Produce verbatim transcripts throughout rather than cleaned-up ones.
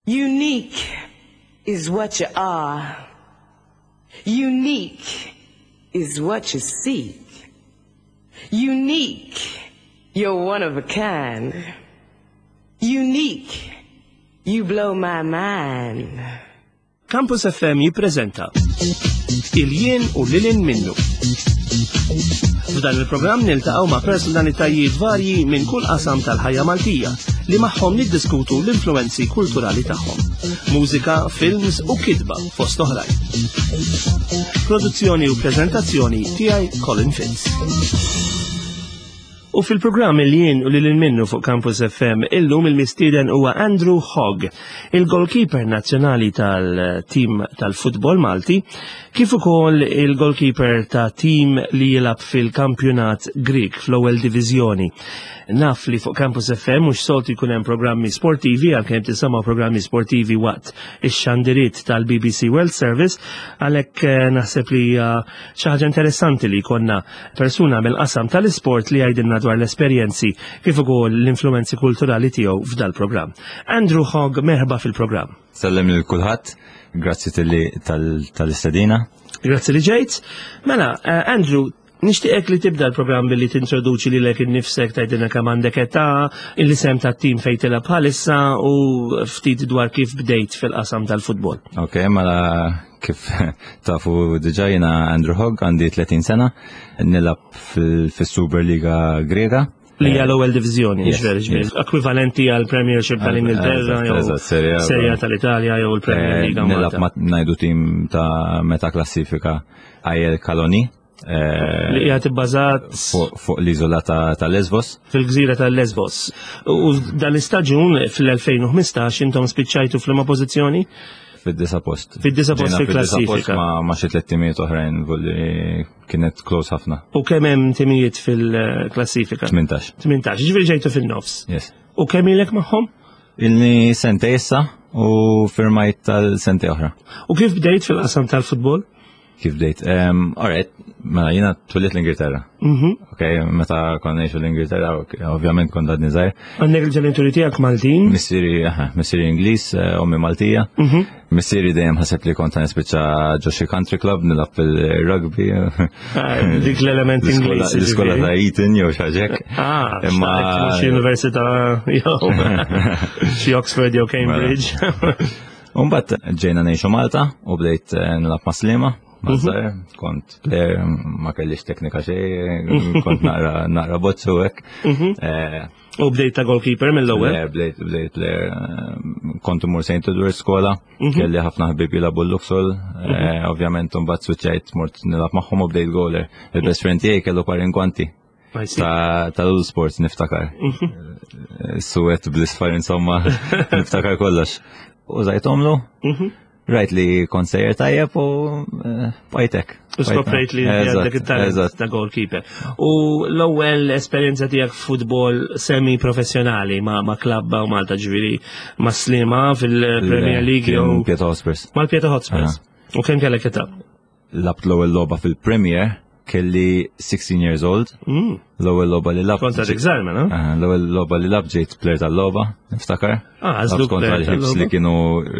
Unique is what you are. Unique is what you seek. Unique, you're one of a kind. Unique, you blow my mind. Campus F M jippreżenta Il-Jien u Lil Hinn Minnu. F'dan il-programm niltaqgħu ma' personalitajiet varji minn kull qasam tal-ħajja Maltija li magħhom niddiskutu l-influenzi kulturali tagħhom. Mużika, films u kitba fost oħrajn. Produzzjoni u preżentazzjoni tiegħi, Colin Fitz. U fil-programm Il-Jien u Lil Hinn Minnu fuq Campus F M illum il-mistieden huwa Andrew Hogg, il-goalkeeper nazzjonali tal-tim tal-futbol Malti, kif ukoll il-goalkeeper ta' tim li jilgħab fil-kampjonat Grieg fl-ewwel diviżjoni. Naf li fuq Campus F M mhux soltu jkun hemm programmi sportivi, għalkemm tisimgħu programmi sportivi waqt ix-xandiriet tal-B B C World Service, għalhekk eh, naħseb li hija xi ħaġa interessanti li jkollna persuna mill-qasam tal-isport li jgħidilna dwar l-esperjenzi kif ukoll l-influenzi kulturali tiegħu f'dal-programm. Andrew Hogg, merħba fil-programm. Sellem lil kulħadd, grazzi talli tal-istedina. Grazzi li ġejt. Mela, eh, Andrew, nixtieqek li tibda l-programm billi tintroduċi lilek innifsek, tgħidilna kemm għandek età, l-isem tat-tim fejn tilgħab bħalissa u ftit dwar kif bdejt fil-qasam tal-futbol. Ok, mela kif tafu diġà, jiena Andrew Hogg, għandi tletin sena, nilgħab fil-Superliga Grega. Li hija l-ewwel diviżjoni, Yes, ġifieri, ġifieri, ekwivalenti għal Premiership tal-Ingilterra jew Eżatt, Serie A. Serie A tal-Italja jew il-Premier Eh, League Nilgħab Malta. ma ngħidu tim ta' meta klassifika A E L Kaloni. eh, Li hija tibbażat Fuq fuq l-iżola ta' ta' Lesbos. Fil-gżira tal-Lesbos. U dan l-istaġun fil-elfejn u ħmistax intom spiċċajtu f'liema pożizzjoni? Fid-disa post. Fid-disa post Ġejna fid-disa post. Fil-klassifika. Ma ma xi tliet timijiet oħrajn li kienet close ħafna. U kemm hemm timijiet fil-klassifika? tmintax. tmintax, ġifieri ġejtu fin-nofs. Yes. U kemm ilek magħhom? Ilni sentejn issa u firmajt tal-sentejn oħra. U kif bdejt fil-qasam tal-futbol? Kif bdejt? Um, alright, mela jiena twelidt l-Ingilterra. Mhm. Ok, meta konna ngħixu l-Ingilterra, ok, ovvjament kont għadni żgħir. Għandek il-ġenituri tiegħek Maltin? Missieri, aha, missieri Ingliż, eh, ommi Maltija. Mhm. Missieri dejjem ħaseb li kont nispiċċa ġo xi country club nilgħab fil-rugby. Ah, dik l-element L-iskola Ingliż. L-iskola ġifieri. ta' Eton jew xi ħaġa hekk. Ah, Imma- xi xi università jew xi Oxford jew Cambridge. Umbagħad ġejna ngħixu Malta u bdejt eh, nilgħab ma' Sliema. Ma' żgħir, kont player, ma kellix teknika xejn, kont naqra naqra bozzu hekk. Eh, U bdejt ta' goalkeeper mill-ewwel. Le, bdejt, bdejt player, eh, kont imur Saint Edward skola, kelli ħafna ħbieb jilagħbu l-Luxol, eh, ovvjament mbagħad switchajt, mort nilgħab magħhom u bdejt goaler. Il-best friend tiegħi kellu par ingwanti I see. ta' tal-Sports, niftakar. Eh, Suwed bl-isfar, insomma, niftakar kollox. Użajthomlu, Mhm. rajt li kont sejjer tajjeb u eh, bqajtek. U skoprejt li inti għandek il-talent Eżatt. ta' goalkeeper. U l-ewwel esperjenza tiegħek f'futbol semi-professjonali ma' ma' klabb hawn Malta, ġifieri ma' Sliema fil-Premier League jew Pieta Hotspurs. Mal-Pieta Hotspurs. U kemm kellek età? Lgħabt l-ewwel logħba fil-Premier kelli sixteen years old. Mm. L-ewwel logħba li lgħabt. Kont għadek żgħir, mela? Ah, l-ewwel logħba li lgħabt ġejt player tal-logħba, niftakar. Ah, għażluk Lgħabt kontra player l-Hibs tal-logħba. li kienu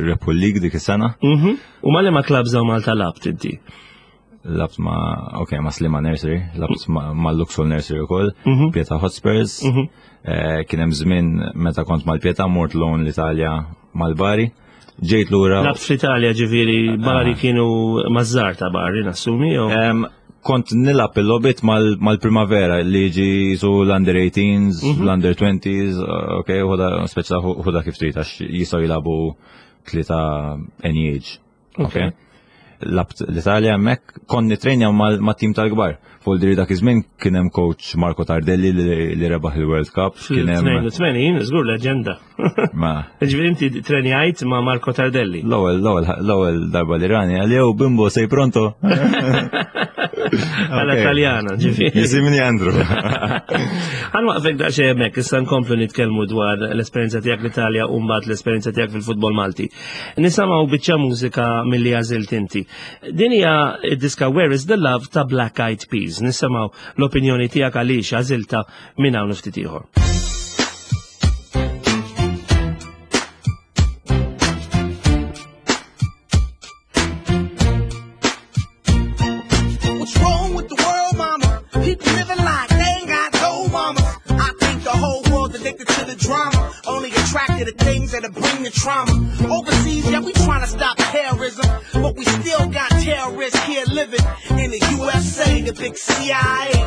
rebħu l-league dik is-sena. Mhm. U ma' liema clubs hawn Malta lgħabt inti? Lgħabt ma' ok, ma' Sliema Nursery, lgħabt ma' ma' Luxol Nursery ukoll, Mhm. Pieta Hotspurs. Mhm. Eh, Kien hemm żmien meta kont mal-Pieta mort loan l-Italja mal-Bari. Ġejt lura. Lgħabt fl-Italja, ġifieri Bari kienu maż-żgħar ta' Bari, nassumi, jew? Em, kont nilgħab il-logħbiet mal- mal-primavera li ġi su l-under eighteens, Mhm. l-under twenties, ok, ħuda, speċa ħuda kif trid, għax jistgħu jilagħbu tlieta any age. Ok. Lgħabt l-Italja hemmhekk, kont nitrenja mal-tim tal-kbar. Fuq diri dak iż-żmien kien hemm coach Marco Tardelli li li rebaħ il-World Cup, kien hemm Fil-tnejn u tmenin, żgur leġenda. Ma Ġifieri inti trenjajt ma' Marco Tardelli. l-ewwel l-ewwel l-ewwel darba li rani għal jew "Bimbo, sei pronto?" Għala Italjana, ġifieri. Jisimni Andrew. Ħa nwaqqfek daqsxejn hemmhekk, issa nkomplu nitkellmu dwar l-esperjenza tiegħek l-Italja u mbagħad l-esperjenza tiegħek fil-futbol Malti. Nisimgħu biċċa mużika milli għażilt inti. Din hija d-diska Where is the Love ta' Black Eyed Peas. Nisimgħu l-opinjoni tiegħek għaliex għażilta minn hawn ftit ieħor. things that'll bring the trauma. Overseas, yeah, we trying to stop terrorism, but we still got terrorists here living in the U S A, the big C I A,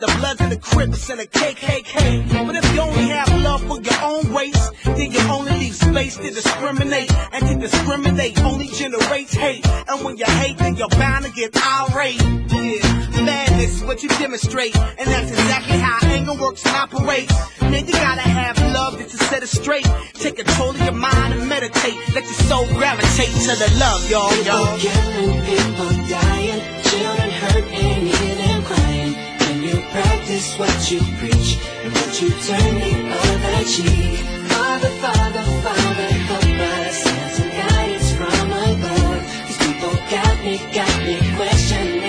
the Bloods and the Crips and the K K K. But if you only have love for your own race, then you only leave space to discriminate. And to discriminate only generates hate. And when you hate, then you're bound to get irate. Yeah, madness is what you demonstrate. And that's exactly how anger works and operates. Man, you gotta have love just to set it straight. Take control of your mind and meditate. Let your soul gravitate to the love, y'all, People y'all. Killing, people dying, children hurt and you hear them crying. When you practice what you preach and what you turn the other cheek. Father, Father, Father, help us. Send some guidance from above. These people got me, got me questioning.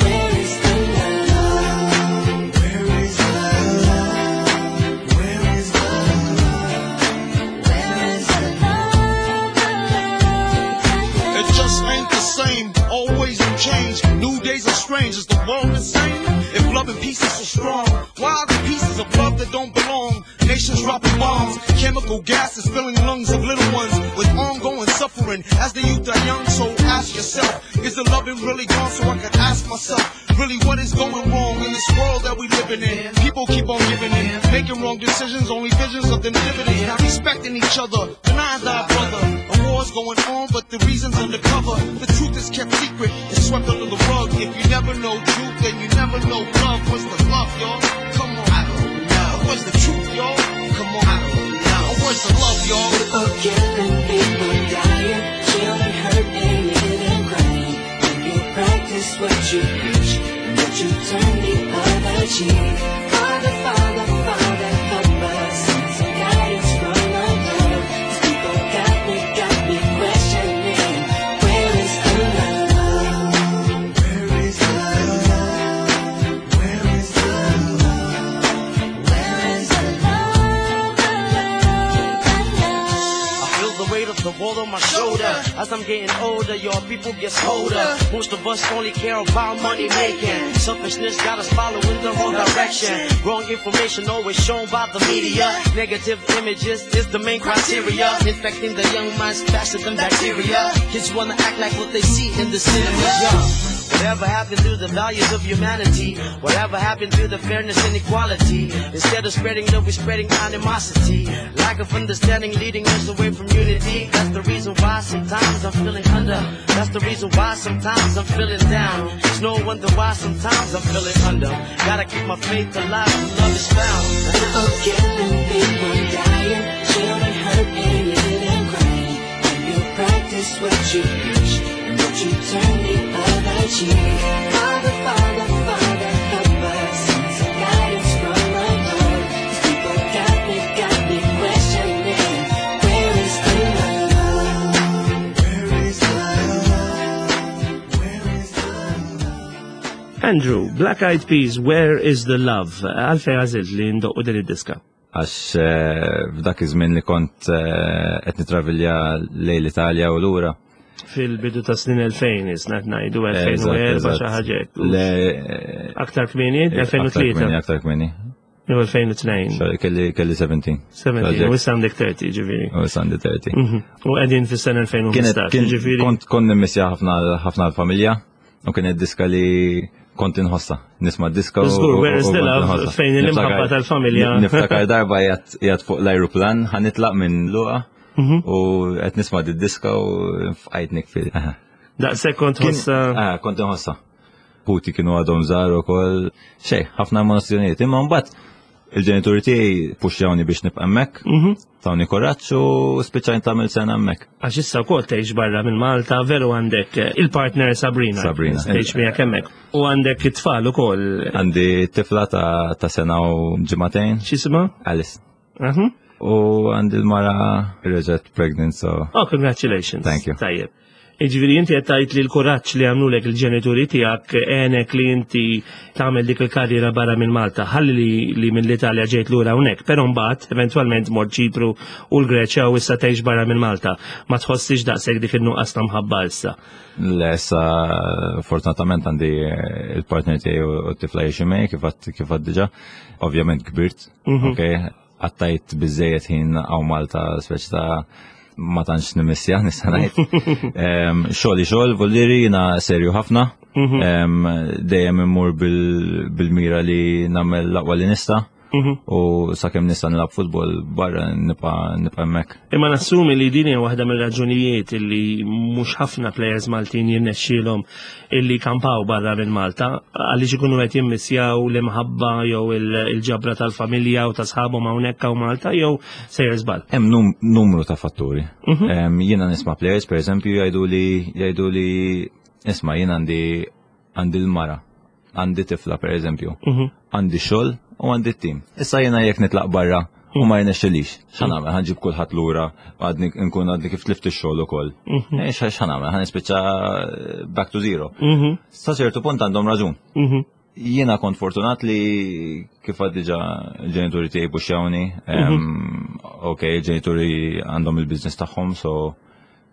Where is the love? Where is the love? Where is the love? Where is the love? It just ain't the same. Always in change. New days are strange. Is the world the same? If love and peace is so strong, why are the pieces of love that don't belong? Nations dropping bombs, chemical gases filling lungs of little ones with ongoing suffering as the youth are young. So ask yourself, is the loving really gone? So I can ask myself, really, what is going wrong in this world that we living in? People keep on giving in, making wrong decisions, only visions of them dividends, not respecting each other, denying thy brother. A war's going on, but the reason's undercover. The truth is kept secret, it's swept under the rug. If you never know truth, then you never know love. What's the love, y'all? Come on, I don't know. What's the truth, y'all? Come on, I don't know. Where's the love, y'all? People killing, people dying, children hurt and you hear them crying. When you practice what you preach and what you turn the other cheek. Father, Father, Father, help us. Send some guidance from above. These people got me, got me questioning. Where is the love? Where is the love? Where is the love? Where is the love? The love, the love? I feel the weight of the world on my shoulder. As I'm getting older, your people get colder. Most of us only care about money making. Selfishness got us following the wrong direction. Wrong information always shown by the media. Negative images is the main criteria. Infecting the young minds faster than bacteria. Kids wanna act like what they see in the cinemas. Yeah. Whatever happened to the values of humanity? Whatever happened to the fairness and equality? Instead of spreading love, we're spreading animosity. Lack of understanding leading us away from unity. That's the reason why sometimes I'm feeling under. That's the reason why sometimes I'm feeling down. It's no wonder why sometimes I'm feeling under. Gotta keep my faith alive, love is found. People killing, people dying, children hurt and you hear them crying. When you practice what you preach and what you turn the other cheek. Father, Father, Father, help us. Send some guidance from above. These people got me, got me questioning. Where is the love? Where is the love? Where is the love? Andrew, Black Eyed Peas, "Where is the Love?" Għalfejn għażilt li ndoqqu din id-diska? Għax eh, f'dak iż-żmien li kont eh, qed nitravilja lejn l-Italja u lura. Fil-bidu ta' snin elfejn, isna ngħidu Eżatt, elfejn u erbgħa eżatt. Xi ħaġa hekk. Le, eh, Aktar kmieni, aktar elfejn u tlieta, kmieni, aktar kmieni. jew elfejn u tnejn. Sorry, kelli kelli sbatax. sbatax, u issa għandek tletin ġifieri. U issa għandi tletin. Mhm. U qegħdin fis-sena Kienet, elfejn u ħmistax, kien, ġifieri. kont kont nimmissja ħafna ħafna l-familja u kienet diska li kont inħossa. Nisma' diska u. Żgur, u- "Where is u the kont Love" inħossa. fejn l-imħabba Niftakar- tal-familja. Niftakar darba qiegħed qiegħed fuq l-ajruplan, ħa nitlaq minn Luqa Mhm. u qed nisma' di diska u fqajt nibki. Daqshekk kont Kien- ħossa. Ah, kont inħossa. Ħuti kienu għadhom żgħar ukoll. Xejn, ħafna emozzjonijiet. Imma mbagħad il-ġenituri tiegħi puxjawni biex nibqa' hemmhekk, Mhm. tawni kuraġġ u spiċċajt tagħmel sena hemmhekk. Għax issa wkoll tgħix barra minn Malta, veru, għandek eh, il-partner Sabrina. Sabrina. Tgħix miegħek hemmhekk. U għandek it-tfal ukoll. Għandi tifla ta' ta' sena u ġimagħtejn, X'isma? Alice. Mhm. U għandi l-mara reġgħet pregnant, so Oh, congratulations. Thank you. Tajjeb. Iġifieri inti qed tgħid li l-kuraġġ li għamlulek il-ġenituri tiegħek għenek li inti tagħmel dik il-karriera barra minn Malta. Ħalli li, li mill-Italja ġejt lura hawnhekk, però mbagħad eventwalment mort Ċipru u l-Greċja u issa tgħix barra minn Malta. Ma tħossix daqshekk dik in-nuqqas ta' mħabba issa? Le, issa fortunatament għandi eh, il-partner tiegħi u t-tifla jgħixu miegħi kif għad kif għad diġà. Ovvjament kbirt, Mhm. ok, Qattajt biżejjed ħin hawn Malta, speċi ta' ma tantx nimissja, nista' ngħid. Em, Xogħli xogħol, voldiri jiena serju ħafna. Em, Dejjem immur bil- bil-mira li nagħmel l-aqwa li nista' u sakemm nista' nilgħab futbol barra nibqa' nibqa' hemmhekk. Imma nassumi li din hija waħda mill-raġunijiet illi mhux ħafna players Maltin jirnexxielhom illi kampaw barra minn Malta, għaliex ikunu qed jimmissjaw l-imħabba jew il- il-ġabra tal-familja u ta' sħabhom hawnhekk hawn Malta, jew sejjer żball? Hemm num numru ta' fatturi. Em, Jiena nisma' players, per eżempju, jgħidu li jgħidu li isma', jien għandi għandi l-mara, għandi tifla, per eżempju, għandi xogħol u għandi t-tim. Issa jiena jekk nitlaq barra u ma jirnexxilix, x'ħa nagħmel? Ħa nġib kulħadd lura, għadni nkun għadni kif tlift ix-xogħol ukoll. Eh, xa x'ħa nagħmel? Ħa nispiċċa back to zero. Sa ċertu punt għandhom raġun. Jiena kont fortunat li kif għad diġà ġenituri tiegħi puxjawni. Em, Ok, ġenituri għandhom il-business tagħhom, so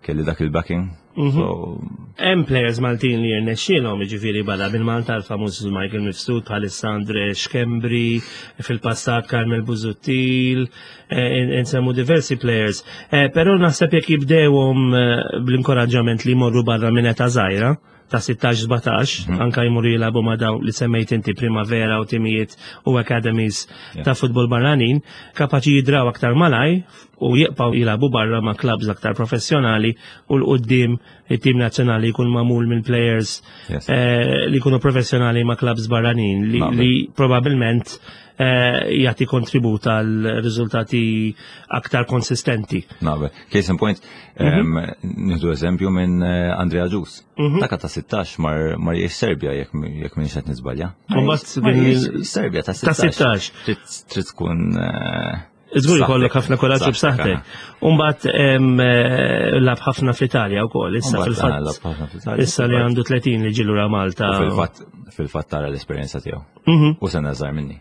kelli dak il-backing. So, Hemm players Maltin li jirnexxielhom, jiġifieri, barra minn Malta, l-famuż Michael Mifsud, bħalissa Andre Schembri, fil-passat Carmel Busuttil, eh, insemmu diversi players. Eh, Però naħseb jekk jibdewhom eh, bl-inkoraġġament li jmorru barra minn età żgħira, ta' sittax sbatax, anka jmorru jilagħbu ma' dawn li semmejt inti, Primavera u timijiet u academies ta' futbol barranin, kapaċi jidraw aktar malaj u jibqgħu jilagħbu barra ma' clubs aktar professjonali, u 'l quddiem it-tim nazzjonali jkun magħmul minn players Yes. eh, li jkunu professjonali ma' clubs barranin li, Naqbel. li probabilment eh, jagħti kontribut għal riżultati aktar konsistenti. Naqbel. Case in point, em, nieħdu eżempju minn eh, Andrea Agius. Dak ta' sittax mar mar jgħix Serbia, jekk jekk m'iniex qed niżbalja. Mbagħad Mar bin- jgħix Serbia ta' Ta' sittax. sittax. Trid trid tkun eh, Żgur b'saħħtek. jkollok ħafna kuraġġ u b'saħħtek. Umbagħad em, eh, lagħab ħafna fl-Italja wkoll, issa Umbagħad, fil-fatt. ah, lagħab ħafna fl-Italja. Issa li għandu tletin li ġie lura Malta. U fil-fatt fil-fatt tara l-esperjenza tiegħu. Mhm. U sena żgħar minni.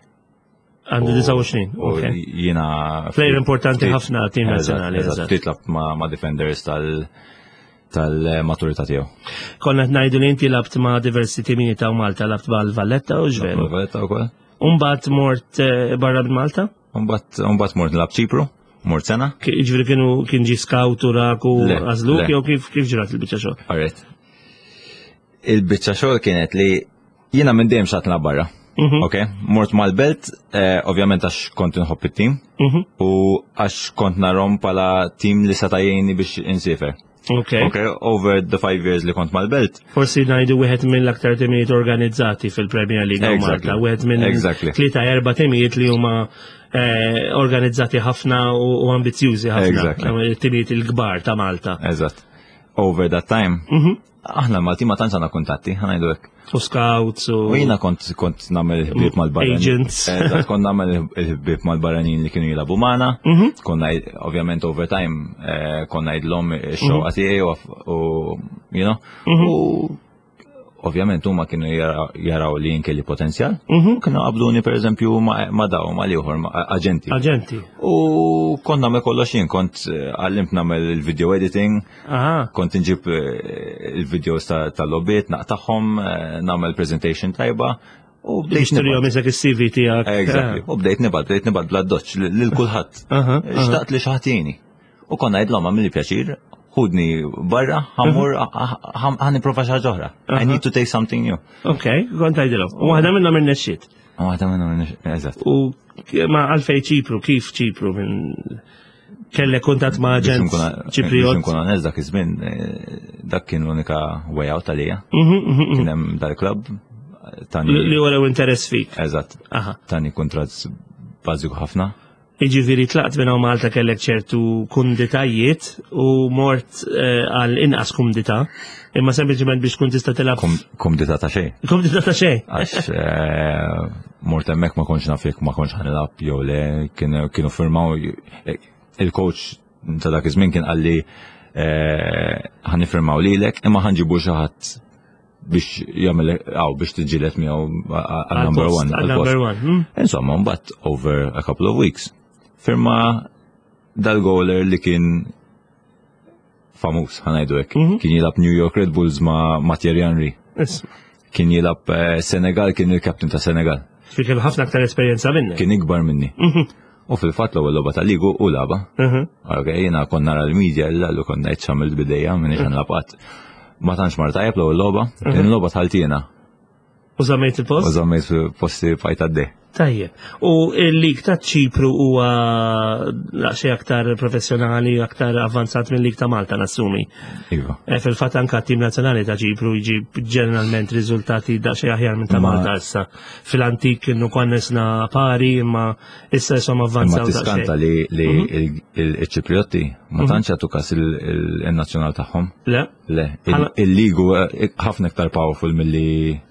Għandu U- disgħa u għoxrin. U Ok. jiena Player importanti ftit- ħafna tim Eżatt, nazzjonali, eżatt. eżatt. Ftit lagħab ma' ma' defenders tal tal-maturità tiegħu. Konna qed ngħidu li inti lgħabt ma' diversi timijiet ta' Malta, lgħabt mal Valletta u ġveru. Valletta wkoll. Umbagħad mort eh, barra minn Malta? Umbagħad umbagħad mort nilgħab Ċipru, mort sena. Ki- Ġifieri kienu kien ġi scout u rak u Le, għażluk le. jew kif kif ġrat il-biċċa xogħol? Alright. Il-biċċa xogħol kienet li jiena minn dejjem xtaqt nilgħab barra. Mhm. Ok, mort mal-Belt, eh, ovvjament għax kont inħobb it-tim Mhm. u għax kont narahom bħala tim li seta' jgħinni biex insifer. Ok. Ok, over the five years li kont mal-Belt, Forsi ngħidu wieħed mill-aktar timijiet organizzati fil-Premier League hawn Exactly. Malta, wieħed minn Exactly. tlieta erba' timijiet li huma eh, organizzati ħafna u, u ambizjużi ħafna. Exactly. Eh, Timijiet il-kbar ta' Malta. Eżatt. Over that time, Mhm. aħna Malti ma tantx għandna kuntatti, ħa ngħidu hekk. U scouts u U jiena kont kont nagħmel il-ħbieb mal-barranin. Agents. Eżatt, kont nagħmel il-ħbieb mal-barranin li kienu jilagħbu magħna. Mhm. Konna ovvjament over time eh, konna ngħidilhom ix-xewqa tiegħi u u you know. U ovvjament huma kienu jara- jaraw li jien kelli potenzjal. Mhm. U kienu qabduni, per eżempju, ma' ma' daw ma' l-ieħor ma' aġenti. Aġenti. U kont nagħmel kollox jien, kont eh, għallimt nagħmel il-video editing, Aha. kont inġib eh, il-videos ta- tal-logħbiet, naqtagħhom, eh, nagħmel presentation tajba u bdejt Biex turihom nibgħat. isek is-C V tiegħek. Exactly. U bdejt nibgħat, bdejt nibgħat bla doċ lil kulħadd. Aha, aha. Xtaqt li xi ħadd jgħinni. U konna ngħidilhom, għamilli pjaċir, ħudni barra, ħa mmur, ħa nipprova xi ħaġa oħra. I need to take something new. Ok, kont tgħidilhom. U waħda minnhom irnexxiet. U waħda minnhom, eżatt. U ma għalfej Ċipru, kif Ċipru minn kellek kuntatt ma' Biex aġent nkun- Biex Ċipriot? nkun onest, dak iż-żmien, eh, dak kien l-unika way out għalija. Mhm, mhm, mhm. Kien hemm dal-klabb tani. Li li wrew interess fik. Eżatt. Aha. Tani kuntratt bażiku ħafna. Iġifieri tlaqt minn hawn Malta, kellek ċertu kumditajiet u mort eh, għal inqas kumdità, imma sempliċement biex tkun tista' tilgħab. Kum- Kumdità ta' xejn. Kumdità ta' xejn. Għax eh, mort hemmhekk ma kontx naf jekk ma kontx ħa nilgħab jew le, kienu kienu firmaw, eh, il-coach ta' dak iż-żmien kien qalli eh, ħa niffirmaw lilek imma ħa nġibu xi ħadd biex jagħmel għaw biex tiġġieled miegħu għal number Għal-post, one. għal għal-post. number one. hmm? Insomma, mbagħad over a couple of weeks firma dal-goaler li kien famuż, ħa ngħidu hekk. Mhm. Kien jilgħab New York Red Bulls ma' ma' Thierry Henry. Isma'. Kien jilgħab eh, Senegal, kien il-captain ta' Senegal. Fi kellu ħafna aktar esperjenza minnek. Kien ikbar minni. Mhm. U fil-fatt l-ewwel logħba tal-ligu u laba. Mhm. Ok, jiena kont nara l-media illa l kont ngħid x'għamilt bidejja minn ixan labat. Ma tantx mar tajjeb l-ewwel logħba, il-logħba tħaltina. U żammejt U il-post? żammejt posti fajt għaddej. Tajjeb. U il-lig ta' Ċipru huwa daqsxejn aktar professjonali, aktar avvanzat mill-lig ta' Malta, nassumi. Iva. E, Fil-fatt anka t-tim nazzjonali ta' Ċipru jġib ġeneralment riżultati daqsxejn aħjar minn ta' Ma- Malta issa. Fil-antik kienu kwannesna pari, imma issa jisom Imma avvanzaw tiskanta daqsxejn. li li il- il- il-Ċipriotti ma tantx jagħtu kas il- il- il-nazzjonal tagħhom. Le? Le, il- Bħala- il-ligu eh, ħafna iktar powerful milli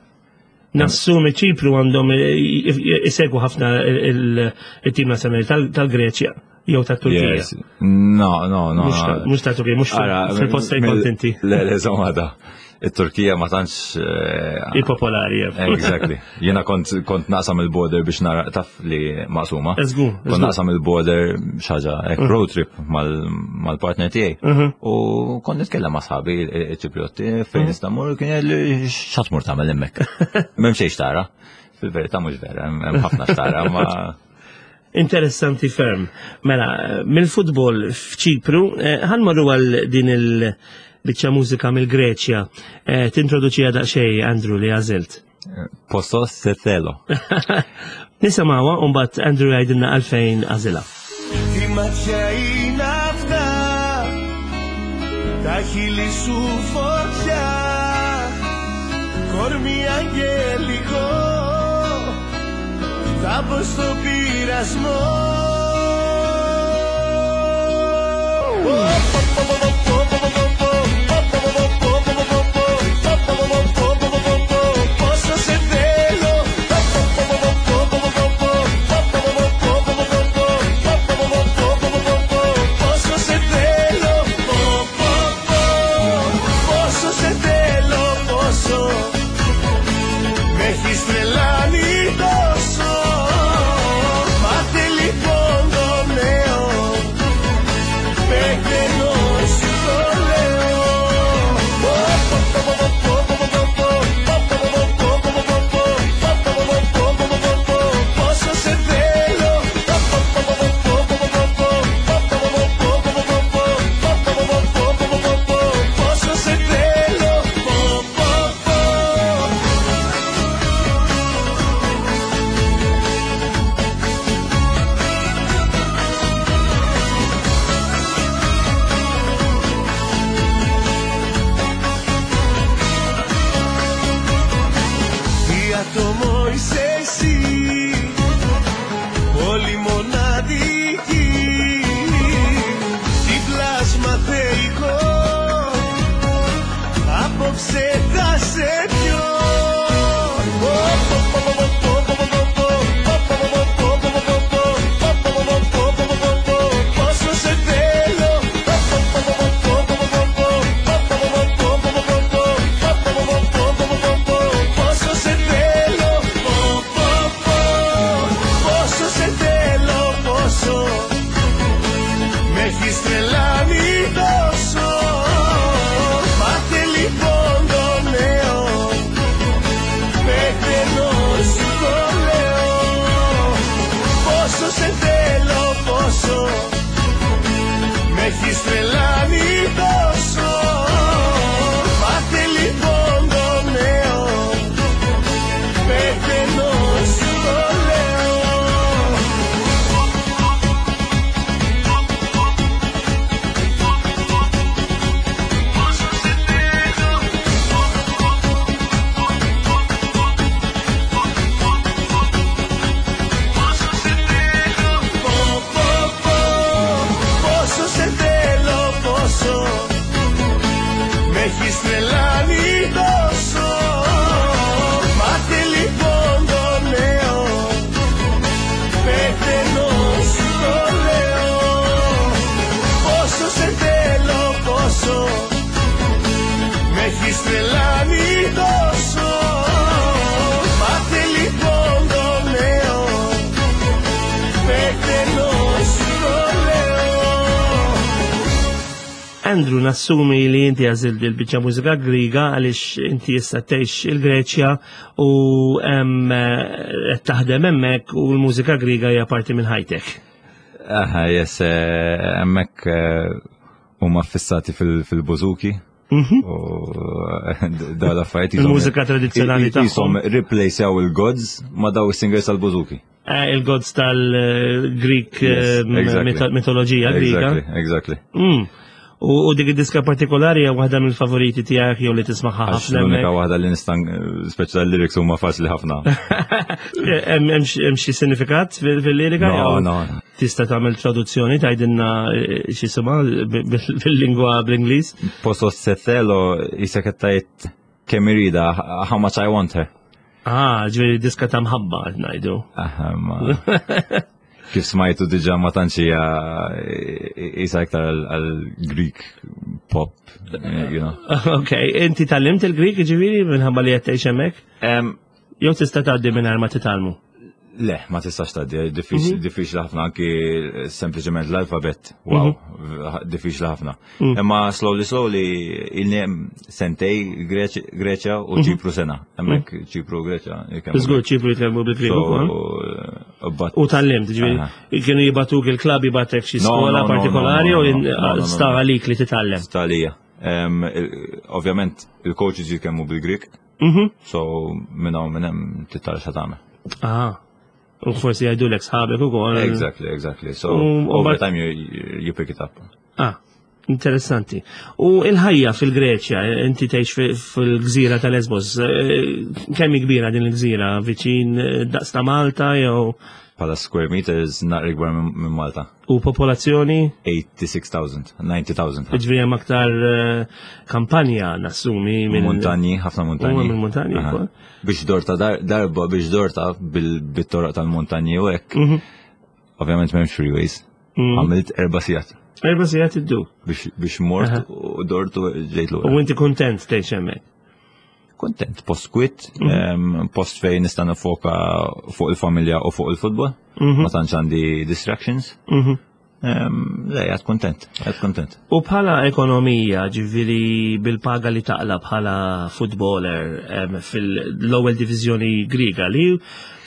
Nassumi Ċipru għandhom eh, isegwu ħafna il-tim nazzjonali tal- tal-Greċja jew tat-Turkija. Yes. No, no, no. Mhux ta- Mhux ta' Turkija, mhux Ara, fil- fil-post fejn mill- kont inti. Le, le, zomma da. Il-Turkija ma tantx. eh, Ipopolari. eh. Exactly. Jena kont, kont naqsam il-border biex nara taf li maqsuma. Eżgur, Kont eżgur. naqsam il-border xaġa, ek road trip mal- mal-partner tiegħi. Mhm. U kont nitkellem ma' sħabi il-Ċipriotti fejn nista' mmur kien jgħidli x'għad tmur tagħmel hemmhekk. M'hemm xejn xtara. Fil-verità mhux vera, hemm hemm ħafna xtara, ma Interessanti ferm. Mela, mill-futbol f'Ċipru, eh, ħanmorru għal din il-biċċa mużika mill-Greċja. Eh, Tintroduċija daqsxejn, Andrew, li għażilt. Posso se thelo. Nisimgħuha u mbagħad Andrew jgħidilna għalfejn għażilha. Τι ματιά είναι αυτά, τα χείλη σου φωτιά, κορμί αγγελικό, θα μπω στο πειρασμό. Πόσο σε θέλω. Πόσο σε θέλω, πω, πω, πω. Πόσο σε θέλω, πόσο με έχεις τρελάνει τόσο. Μάθε λοιπόν το νέο, πεθαίνω σου το λέω. Πόσο σε θέλω. Πόσο σε θέλω. Πω, πω, πω. Τι άτομο είσαι εσύ, πολύ μοναδική. Τι πλάσμα θεϊκό, απόψε θα σε πιω. Πόσο σε θέλω. Πόσο σε θέλω, πω, πω, πω. Πόσο σε θέλω, πόσο με έχεις τρελάνει τόσο. Μάθε λοιπόν το νέο, πεθαίνω σου το λέω. Πόσο σε θέλω, πόσο με έχεις τρελάνει τόσο. Μάθε λοιπόν το νέο, πεθαίνω σου το λέω. Πω, πω, πω, πόσο σε θέλω, πόσο με έχεις τρελάνει τόσο. Μάθε λοιπόν το νέο, πεθαίνω σου το λέω. Πόσο σε θέλω, πόσο με έχεις τρελάνει τόσο. Μάθε λοιπόν το νέο, πεθαίνω σου το λέω. Andrew, nassumi li inti għażilt il-biċċa mużika Griega għaliex inti issa tgħix il-Greċja u hemm, eh, qed taħdem hemmhekk u l-mużika Griega hija parti minn ħajtek. Aha, yes, eh, hemmhekk eh, huma fissati fil- fil-bouzouki. U daw l-affarijiet jisom- Il-mużika tradizzjonali jisom tagħhom. replacejaw il-gods ma daw is-singers tal-bouzouki. Eh, Il-gods tal-Greek Yes, exactly. mitoloġija Grika. Exactly, exactly. Mm. U u dik id-diska partikolari hija waħda mill-favoriti tiegħek jew li tismaħħa Għax ħafna l-unika hemmhekk. waħda li nista' speċi tal-lyrics huma faċli ħafna. Hemm hemm xi hemm xi sinifikat fil- fil-lirika? No, jew no, no. Tista' tagħmel traduzzjoni tgħidilna eh, x'jisimha bil-lingwa bl-Ingliż? Πόσο σε θέλω jisek tgħid kemm irridha, how much I want her. Ah, ġifieri diska ta' mħabba qed ngħidu. Aha, ma. Kif smajtu diġà ma tantx hija isa iktar għal Greek pop, you know. Ok, inti tgħallimt il-Greek ġifieri minħabba li qed tgħix hemmhekk? Em, Jew tista' tgħaddi mingħajr ma titgħallmu? Le, ma tistax tgħaddi, diffiċli diffiċli ħafna anki sempliċement l-alfabet. Wow, diffiċli ħafna. Imma slowly slowly ilni sentejn Greċ- Greċja u Ċipru sena. Hemmhekk Ċipru u Greċja. jitkellmu Żgur Ċipru jitkellmu bil-Grieg So, ukoll. but U tgħallimt, ġifieri, kienu jibagħtuk il-klabb jibagħtek xi No, skola no, no, partikolari no, u no, no, no, no, sta no. għalik li titgħallem. Sta għalija. Em, il- Ovvjament, il-coaches jitkellmu bil-Greek, Mhm. so minn hawn minn hemm titgħallem xa tagħmel. Ah, u forsi jgħidulek sħabek ukoll. Exactly, exactly. So U- u over bat- time you, you you pick it up. Ah, interessanti. U il-ħajja fil-Greċja, inti tgħix fi- fil-gżira ta' Lesbos, eh, kemm hi kbira din il-gżira? Viċin eh, daqs ta' Malta jew Bħala square meters naqra ikbar minn minn Malta. u popolazzjoni? eighty-six thousand, ninety thousand. Ġifieri hemm aktar eh, kampanja nassumi minn Montanji, ħafna montanji. Huma minn montanji Aha. wkoll. Biex dorta dar, darba biex dorta bil- bit-toroq tal-montanji u hekk. Mhm. Ovvjament m'hemmx freeways. Għamilt erba' sigħat Erba' sigħat iddu. biex biex mort Aha. u dort u ġejt lura. U inti kontent tgħix hemmhekk. Kontent, post kwit, Mhm. em, post fejn nista' nifoka fuq il-familja u fuq il-futbol. Mhm. Ma tantx għandi distractions. Mhm. Em, Le, għad kontent, għad kontent. U bħala ekonomija, ġifieri bil-paga li taqla bħala footballer em, fil-ewwel diviżjoni Griega li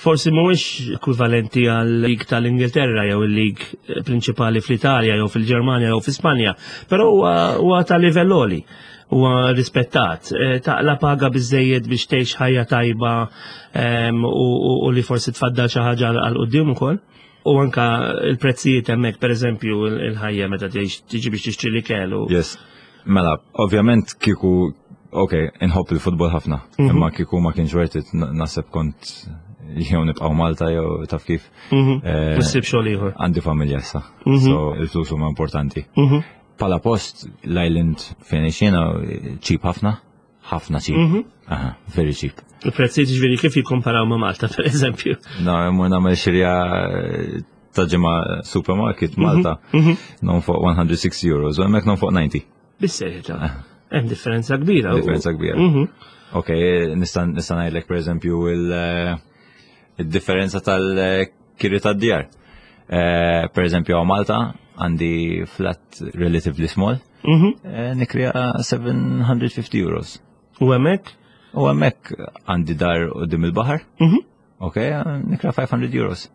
forsi mhuwiex ekwivalenti għal lig tal-Ingilterra jew il-lig prinċipali fl-Italja jew fil-Ġermanja jew fl-Ispanja, però huwa huwa ta' livell għoli, huwa rispettat. Eh, Taqla paga biżejjed biex tgħix ħajja tajba em, u, u, u li forsi tfaddal xi ħaġa għal quddiem ukoll. U anka il-prezzijiet hemmhekk, pereżempju, il- il-ħajja meta tgħix tiġi biex tixtri l-ikel u Yes. Mela, ovvjament kieku, ok, inħobb il-futbol ħafna, Mhm. imma kieku ma kienx worth it, n- naħseb kont jew nibqgħu Malta jew taf kif. Mhm. Eh, Issib xogħol ieħor. Għandi familja issa, Mhm. so il-flus huma importanti. Mhm. Bħala post, l-island fejn jiena cheap ħafna, ħafna cheap. Mhm. Aha, very cheap. Il-prezzijiet ġifieri kif jikkomparaw ma' Malta, pereżempju? No, mmur nagħmel xirja eh, ta' ġimgħa supermarket Malta, Mhm. nonfoq one hundred sixty euros, u hemmhekk nonfoq ninety. Bis-serjetà. Hemm differenza kbira. Differenza kbira. Mhm. Ok, nista' nista' ngħidlek pereżempju il- eh, il-differenza tal-kiri tad-djar. Eh, Per eżempju, għaw Malta għandi flat relatively small, Mhm. eh, nikrija seven hundred fifty euros. U hemmhekk? U hemmhekk għandi dar quddiem il-baħar, Mhm. ok, nikra five hundred euros.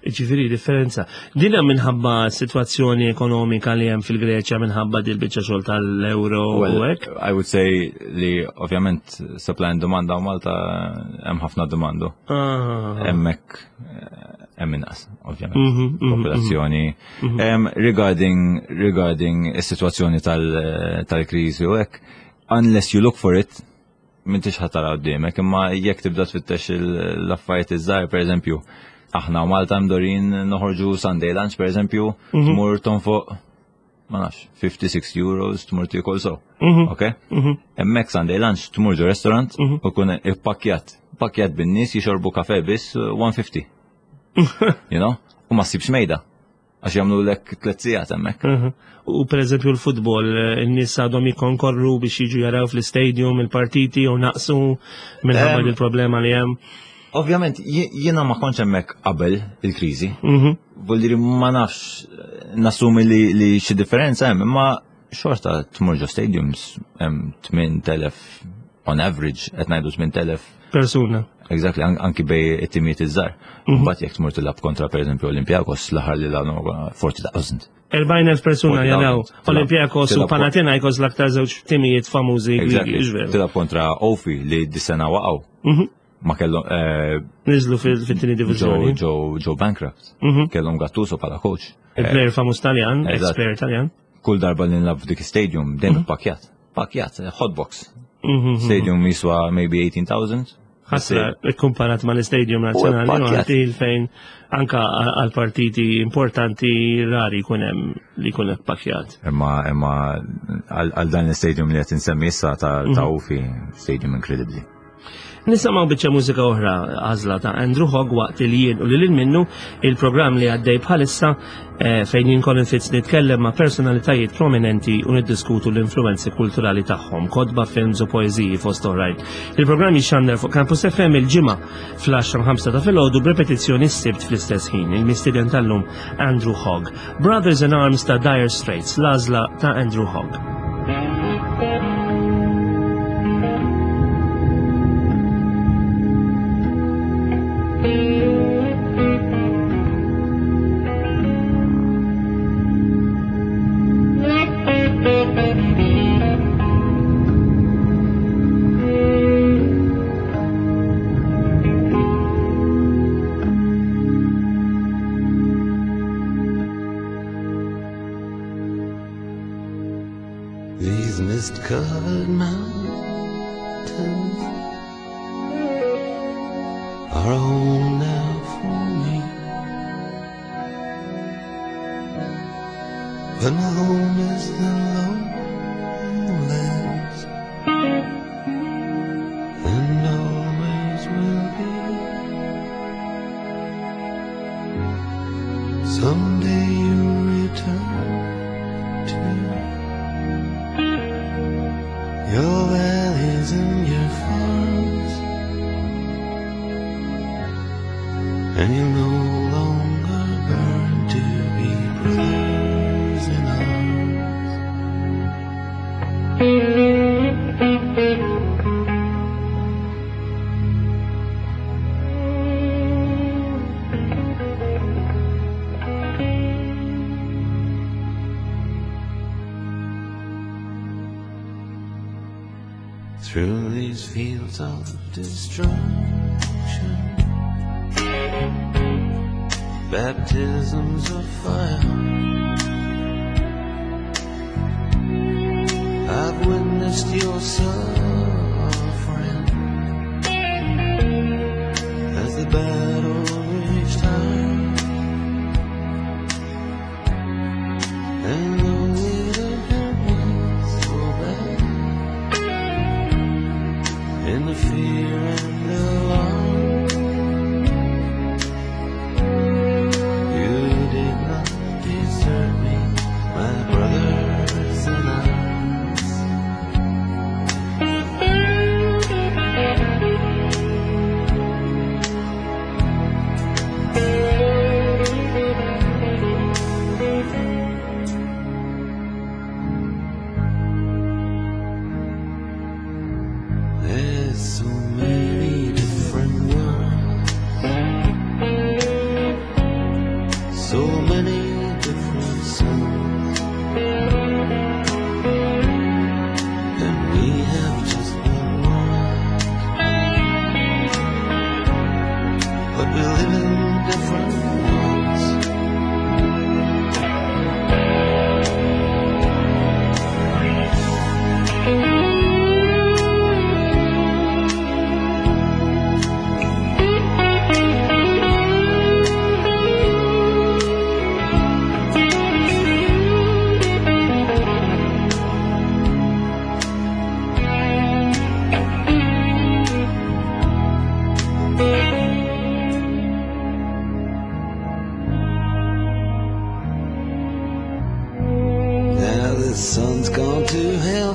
Ġifieri differenza. Din hemm minħabba situazzjoni ekonomika li hemm fil-Greċja, minħabba dil biċċa xogħol tal-euro u Well, hekk. I would say li ovvjament supply and demand għaw Malta hemm ħafna demandu. Ah. Hemmhekk eh, hemm inqas, ovvjament. Mhm, mhm, Popolazzjoni. Em, Regarding regarding is-sitwazzjoni tal- tal-kriżi u hekk, unless you look for it, m'intix ħa tara quddiemek, imma jekk tibda tfittex il- l-affarijiet iż-żgħar, pereżempju, aħna u Malta mdorrijin noħorġu Sunday lunch, pereżempju, tmur tonfoq ma nafx, fifty-six euros tmur tiekol so. Mhm. Ok? Hemmhekk Sunday lunch tmur ġo restaurant u kun ippakkjat. Pakkjat bin-nies jixorbu kafe biss uh, one fifty. You know? U ma ssibx mejda. Għax jagħmlu lek tliet sigħat hemmhekk. Mhm. U per eżempju l-futbol, eh, in-nies għadhom jikkonkorru biex jiġu jaraw fl-istadium il-partiti u naqsu minħabba Em, il-problema li hemm? Ovvjament, jie- jiena ma kontx hemmhekk qabel il-kriżi. Mhm. Vuol ma nafx, nassumi li, li xi differenza hemm, imma xorta tmur ġo stadiums hemm tmien elef on average qed ngħidu tmien elef persuna. Exactly, anki bej it-timijiet iż-żgħar. Mhm. Mbagħad jekk tmur tilgħab kontra pereżempju Olympiakos l-aħħar li lagħbu forty thousand. erbgħin elf persuna Forty jaraw thousand. Olympiakos u Tilab- Panathinaikos l-aktar żewġ timijiet famużi Grigi, Exactly. ġveru. Tilab kontra Ofi li dis-sena waqgħu. Mhm. Ma kellhom, eh, Niżlu fil-, fit-tieni diviżjoni. Ġew, ġew, ġew bankrupt. Mhm. Kellhom Gattuso bħala coach. Il-player famuż Taljan, Eżatt. ex-player Taljan. Kull darba li nilgħab f'dik stadium dejjem Mhm. pakkjat. Pakkjat, hotbox. Mhm. Stadium jiswa maybe eighteen thousand. Ħasra, ikkumparat mal-Istadium Nazzjonali, U pakkjat. Malti fejn anka għal partiti importanti rari jkun hemm li jkun hekk pakkjat. Imma, imma għal, għal dan l-stadium li qed insemmi issa ta', ta' Mhm. Ofi, stadium inkredibbli. Nisimgħu biċċa mużika oħra għażla ta' Andrew Hogg waqt li jien u lil minnu il-programm li għaddej bħalissa, eh, fejn jien Colin Fitz nitkellem ma' personalitajiet prominenti u niddiskutu l-influenzi kulturali tagħhom, kotba, films u poeżiji fost oħrajn. Il-programm jixxandar fuq Campus F M il-ġimgħa fl-għaxra u ħamsa ta' filgħodu b'repetizzjoni s-Sibt fl-istess ħin. Il-mistieden tal-lum Andrew Hogg. Brothers in Arms ta' Dire Straits, l-għażla ta' Andrew Hogg. These mist-covered mountains are home now for me, but my home is the lowlands and always will be. Someday you'll return to your valleys and your farms, and you'll no longer burn to be brothers in arms. Through these fields of destruction, baptisms of fire, I've witnessed your suffering as the battle raged high. And though it hurt me so bad, in the fear and the alarm, you did not desert me, my brothers in arms. There's so many different worlds, so many different suns, and we have just one world, but we live in different worlds. Now the sun's gone to hell,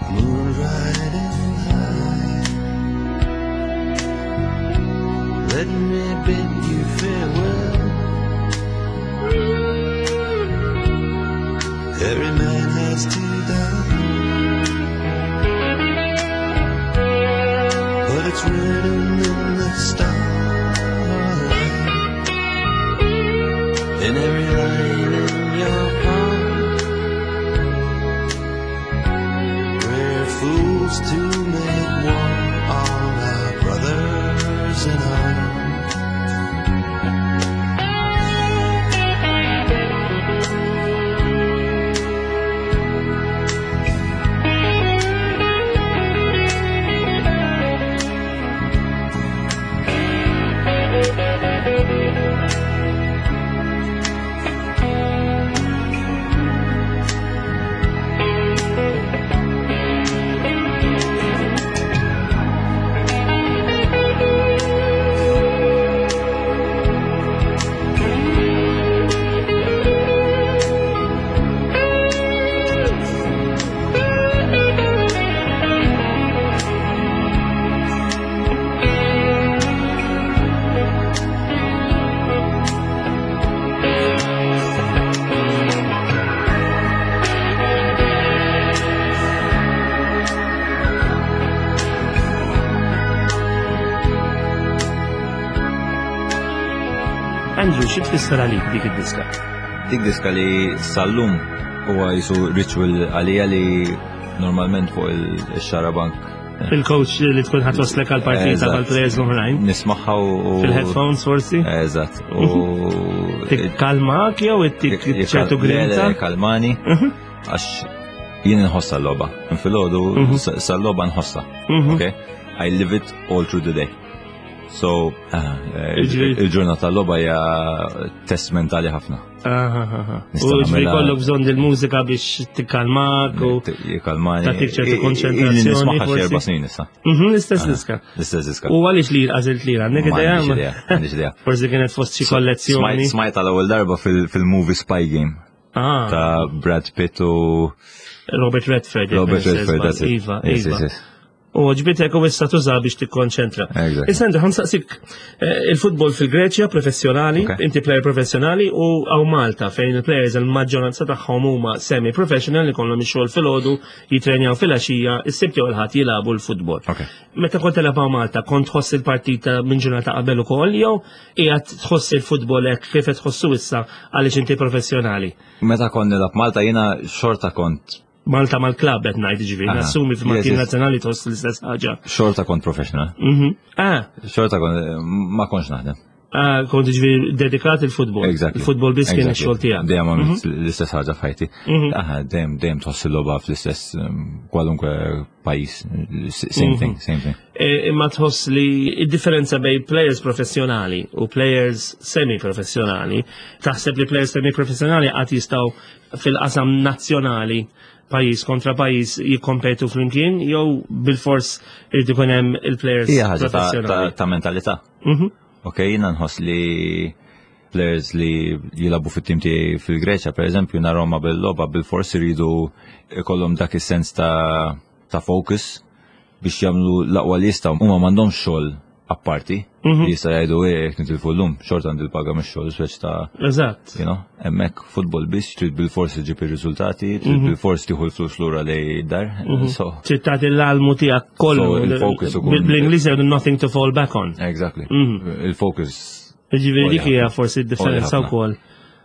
the moon's riding high. Let me bid you farewell. Every man has Every line in your palm. We're fools to make war on our brothers in arms. Andrew, xi tfisser għalik dik id-diska? Dik diska li sal-lum huwa jisu ritual għalija li normalment fuq il-xarabank. Il-coach li tkun ħatwaslek għal-partita Eżatt. mal-players l-oħrajn. Nismaħħa u. Fil-headphones forsi? Eżatt. U. Tikkalmak jew ittik ċertu grinta? Kalmani. Għax jien nħossa l-logħba. Filgħodu sal-logħba nħossa. Okay? I live it all through the day. So, ah, eh, Jiġifieri- il-ġurnata tal-logħba hija test mentali ħafna. Aha, aha. Nista' U ġifieri nagħmilha- kollok bżonn il-mużika biex tikkalmak u. Jikalmani. Tagħtik ċertu konċentrazzjoni, Ili nismaħħa xi forsi. erba' snin issa. Mhm, L-istess diska. L-istess diska. U għaliex li għażilt li għandek Ma idea? għandix idea, m'għandix idea. Forsi kienet fost xi kollezzjoni. Smajt smajt għal ewwel darba fil- fil-movie Spy Game Ah, ta' Brad Pitt u Robert Redford. jekk Robert ma Redford, ninsiex that's it. Iva, Yes, iva. yes, yes. U ġbitek u issa tuża biex tikkonċentra. Exactly. Issa Andrew, ħansaqsik eh, il-futbol fil-Greċja professjonali, Okay. inti player professjonali u għaw Malta fejn il-players il-maġġoranza tagħhom huma semi-professional li kollhom ix-xogħol filgħodu, jitrenjaw filgħaxija, is-sibt jew il-ħadd jilagħbu l-futbol. Okay. Meta kont telab hawn Malta, kont tħoss il-partita minn ġurnata qabel ukoll jew qiegħed tħoss il-futbol hekk kif qed tħossu issa għaliex inti professjonali? Meta kont nilgħab Malta jiena xorta kont Malta mal-klabb qed ngħid ġifieri, Aha. nassumi Yes, fil-tim yes. nazzjonali tħoss l-istess ħaġa. xorta kont professional. Mhm. Ah, Xorta kont ma kontx naħdem. ah, kont ġifieri dedikat il-futbol. Exactly. Il-futbol biss kien Exactly. ix-xogħol tiegħek. Dejjem għamilt l-istess ħaġa f'ħajti. Mhm. Aha, dejjem dejjem tħoss il-logħba fl-istess um, kwalunkwe pajjiż. S- Same Mhm. thing, same thing. E, Imma tħoss li id-differenza bej players professjonali u players semi-professjonali, taħseb li players semi-professjonali għad jistgħu fil-qasam nazzjonali pajjiż kontra pajjiż jikkompetu flimkien jew bil-fors irid ikun hemm il-players Hija ħaġa ta' ta' professjonali. ta' mentalità. Mhm. Ok, jiena nħoss li players li jilabu fit-tim tiegħi fil-Greċja, per eżempju, narahom bil-logħba bil-fors iridu ikollhom dak is-sens ta' ta' focus biex jagħmlu l-aqwa li jistgħu. Huma m'għandhomx xogħol apparti Mhm. li jista' jgħidu eh jekk nitilfu llum, xorta għandi l-paga mix-xogħol, speċ ta' Eżatt. you know, hemmhekk futbol biss trid bil-fors iġib ir-riżultati, trid bil-fors tieħu l-flus lura lej dar. So, Trid tagħti l-almu tiegħek kollu. So, il-focus ukoll- Bl-Ingliż jgħidu nothing to fall back on. exactly. Mhm. Il-focus Ġifieri dik hija Għoli forsi d-differenza ħafna. wkoll.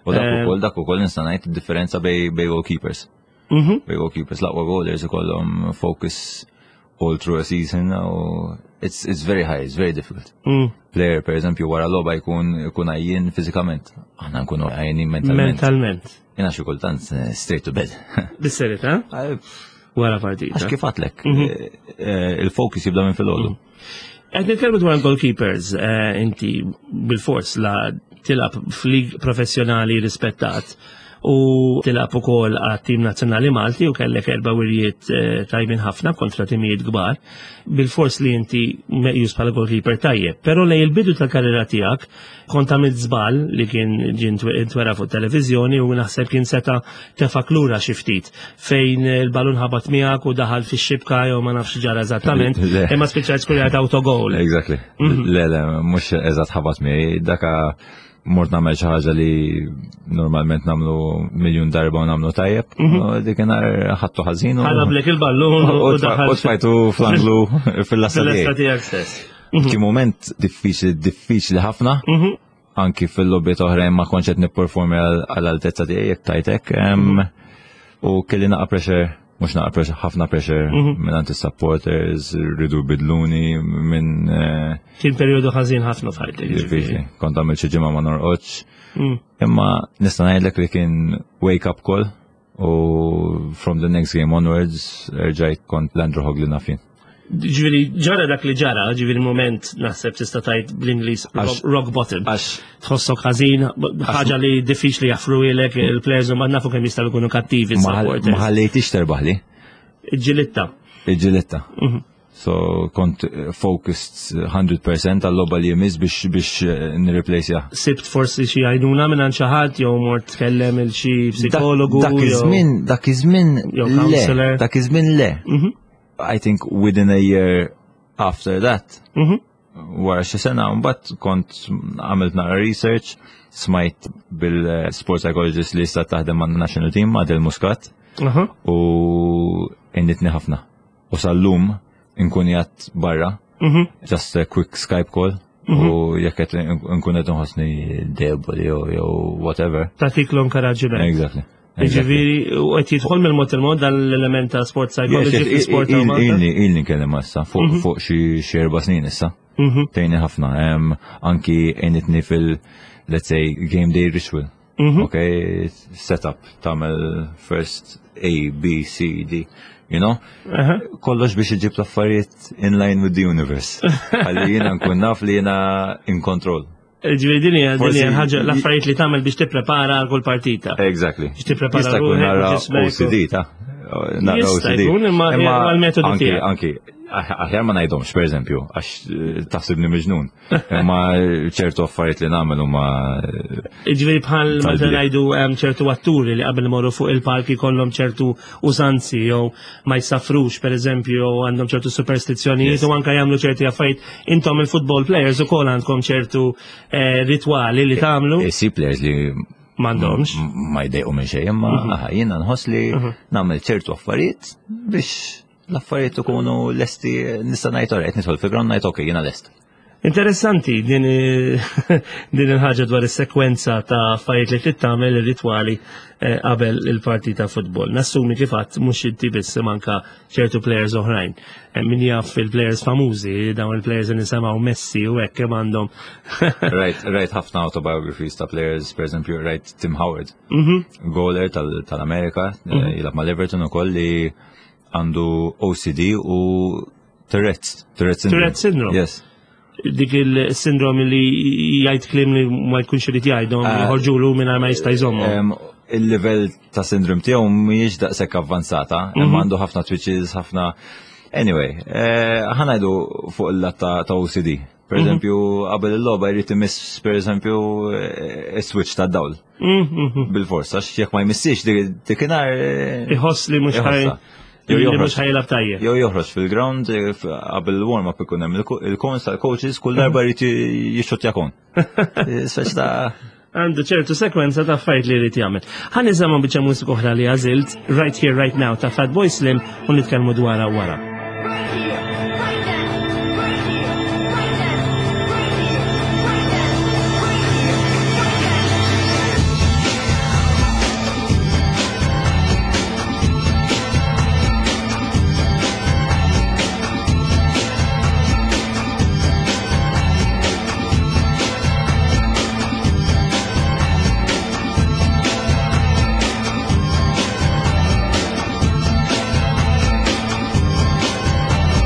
U dak Eh, ukoll dak ukoll nista' ngħid id-differenza bej bej goalkeepers. Mhm. Bej goalkeepers l-aqwa goalers ikollhom focus all through a season u it's it's very high, it's very difficult. Mm. Player per eżempju wara logħba jkun jkun għajjien fiżikament. Aħna nkunu għajjenin mentalment. Mentalment. Jiena xi kultant eh, straight to bed. Bis-serjetà? Wara partita. Għax kif għatlek, Mhm. eh, eh, il-focus jibda minn filgħodu. Qed nitkellmu dwar goalkeepers, eh, inti bil-fors la tilab f'lig professjonali rispettat u tilab ukoll għat-tim nazzjonali Malti u kellek erba' wirjiet eh, tajbin ħafna kontra timijiet kbar. Bil-fors li inti meqjus bħala goalkeeper tajjeb, però lej il-bidu tal-karriera tiegħek kont għamilt żball li kien ġie ntwera fuq televiżjoni u naħseb kien seta tefak lura xi ftit fejn il-balun ħabat miegħek u daħal fix-xibka jew ma nafx ġara eżattament, Le. imma spiċċajt skurjat autogol. Exactly. Mhm. Le, le, mhux eżatt ħabat miegħi, daka mort nagħmel xi ħaġa li normalment nagħmlu miljun darba u nagħmlu tajjeb, u dik nhar ħadtu ħażin u Ħalablek il-ballun u u daħal u tfajtu fl-anglu fil-lasta fil-lasta tiegħi. tiegħek stess. Kien moment diffiċli, diffiċli ħafna, Mhm. Anki fil-logħbiet oħrajn ma kontx qed nipperformi għall-altezza tiegħi jekk tajtek. U kelli naqa pressure, mhux naqa pressure, ħafna pressure minn għand is-supporters, riedu jbiddluni minn. Kien perjodu ħażin ħafna f'ħajtek. Diffiċli, kont għamilt xi ġimgħa ma norqodx. Imma nista' ngħidlek li kien wake up call u from the next game onwards rġajt kont l-Andrew Hogg li naf jien. Ġifieri, ġara dak li ġara, ġifieri moment naħseb tista' tgħid bl-Ingliż rock bottom. Għax Tħossok ħażin, ħaġa li diffiċli jaffruhielek il-players u ma nafu kemm jistgħu jkunu kattivi ma ħallejtix terbaħli. Ġilitta. Ġilitta. So kont focused one hundred percent għal-logħba li jmiss biex biex nirreplace. Sibt forsi xi għajnuna minn xi ħadd jew mort tkellem il xi psikologu? Dak iż-żmien, dak iż-żmien le, dak iż-żmien le. I think within a year after that, wara xi sena, mbagħad kont għamilt naqra research, smajt bil-sport psychologist li issa taħdem man national team, Adel Muscat, u għenitni ħafna. U sal-lum inkun qiegħed barra, just a quick Skype call, u jekk qed nkun qed nħossni deboli jew whatever. Tatik l-inkoraġġiment. Exactly. Ġifieri, u qed jidħol mill-mod il-mod dal-element ta' sport psychology fi sport ta' Malta? Ilni, ilni nkellem issa, fuq xi erba' snin issa. Tgħinni ħafna, anki għenitni fil, let's say, game day ritual. Ok, setup, tagħmel first A, B, C, D, you know? Kollox biex iġib l-affarijiet in line with the universe. Għalli jiena nkun naf li jiena in control. Ġifieri din hija din hija ħaġa l-affarijiet li tagħmel biex tipprepara għal kull partita. Exactly. Biex tipprepara ruħek u ġismek. O C D ta' naqra O C D. Jista' jkun, imma għal-metodu Anki, tiegħek. anki, aħjar ma ngħidhomx, per eżempju, għax eh, taħsibni miġnun. Imma ċertu affarijiet li nagħmel huma Ġifieri bħal meta Tal-bliet. ngħidu hemm ċertu atturi li qabel morru fuq il-palki kollhom ċertu użanzi jew ma jsafrux, per eżempju, jew għandhom ċertu superstizzjonijiet Yes. u anke jagħmlu ċerti affarijiet. Intom il-football players ukoll għandkom ċertu eh, ritwali li tagħmlu? Si players li M'għandhomx. ma jdejqu minn xejn, imma aha, jiena nħoss li nagħmel ċertu affarijiet biex l-affarijiet ikunu lesti, nista' ngħid alright, nidħol fil-ground ngħid okay, jiena lest. Interessanti din din il-ħaġa dwar is-sekwenza ta' affarijiet li trid tagħmel, ir-ritwali eh, qabel il-partita futbol. Nassumi kif għadt mhux inti biss, manka ċertu players oħrajn. Eh, Min jaf il-players famużi, dawn il-players li nisimgħu, Messi u hekk, kemm għandhom. Rajt, rajt ħafna autobiographies ta' players, per eżempju, rajt Tim Howard, Mhm. goaler tal- tal-Amerika, eh, jilgħab ma' Everton ukoll, li għandu O C D u Tourette's, Tourette syndrome. Tourette syndrome. Yes. Dik il-sindrom li jgħid kliem li ma jkunx irid jgħidhom, Ah. joħorġulu mingħajr ma jista' jżommhom. Em, Il-level ta' sindrom tiegħu mhijiex daqshekk avvanzata, imma għandu ħafna twitches, ħafna. Anyway, eh, ħa ngħidu fuq il-lat ta' ta' O C D. Per eżempju, qabel il-logħba jrid imiss, per eżempju, eh, switch ta' dawl. Mhm. Bil-forsa, għax jekk ma jmissix dik- dikinhar eh, Iħoss li mhux ħaj iħossha. Jew li joħroġ. mhux ħa jilgħab tajjeb. Jew joħroġ fil-ground, eh, f- qabel il-warm-up ikun hemm il- il-cones tal-coaches, kull darba jrid jixxottja cone. Speċi ta' Għandu ċertu sekwenza ta' affarijiet li jrid jagħmel. Ħa nisimgħu biċċa mużika oħra li għażilt, Right Here Right Now ta' Fatboy Slim, u nitkellmu dwarha wara. Right here, right now, right here, right now, right here, right now, right here, right now. Right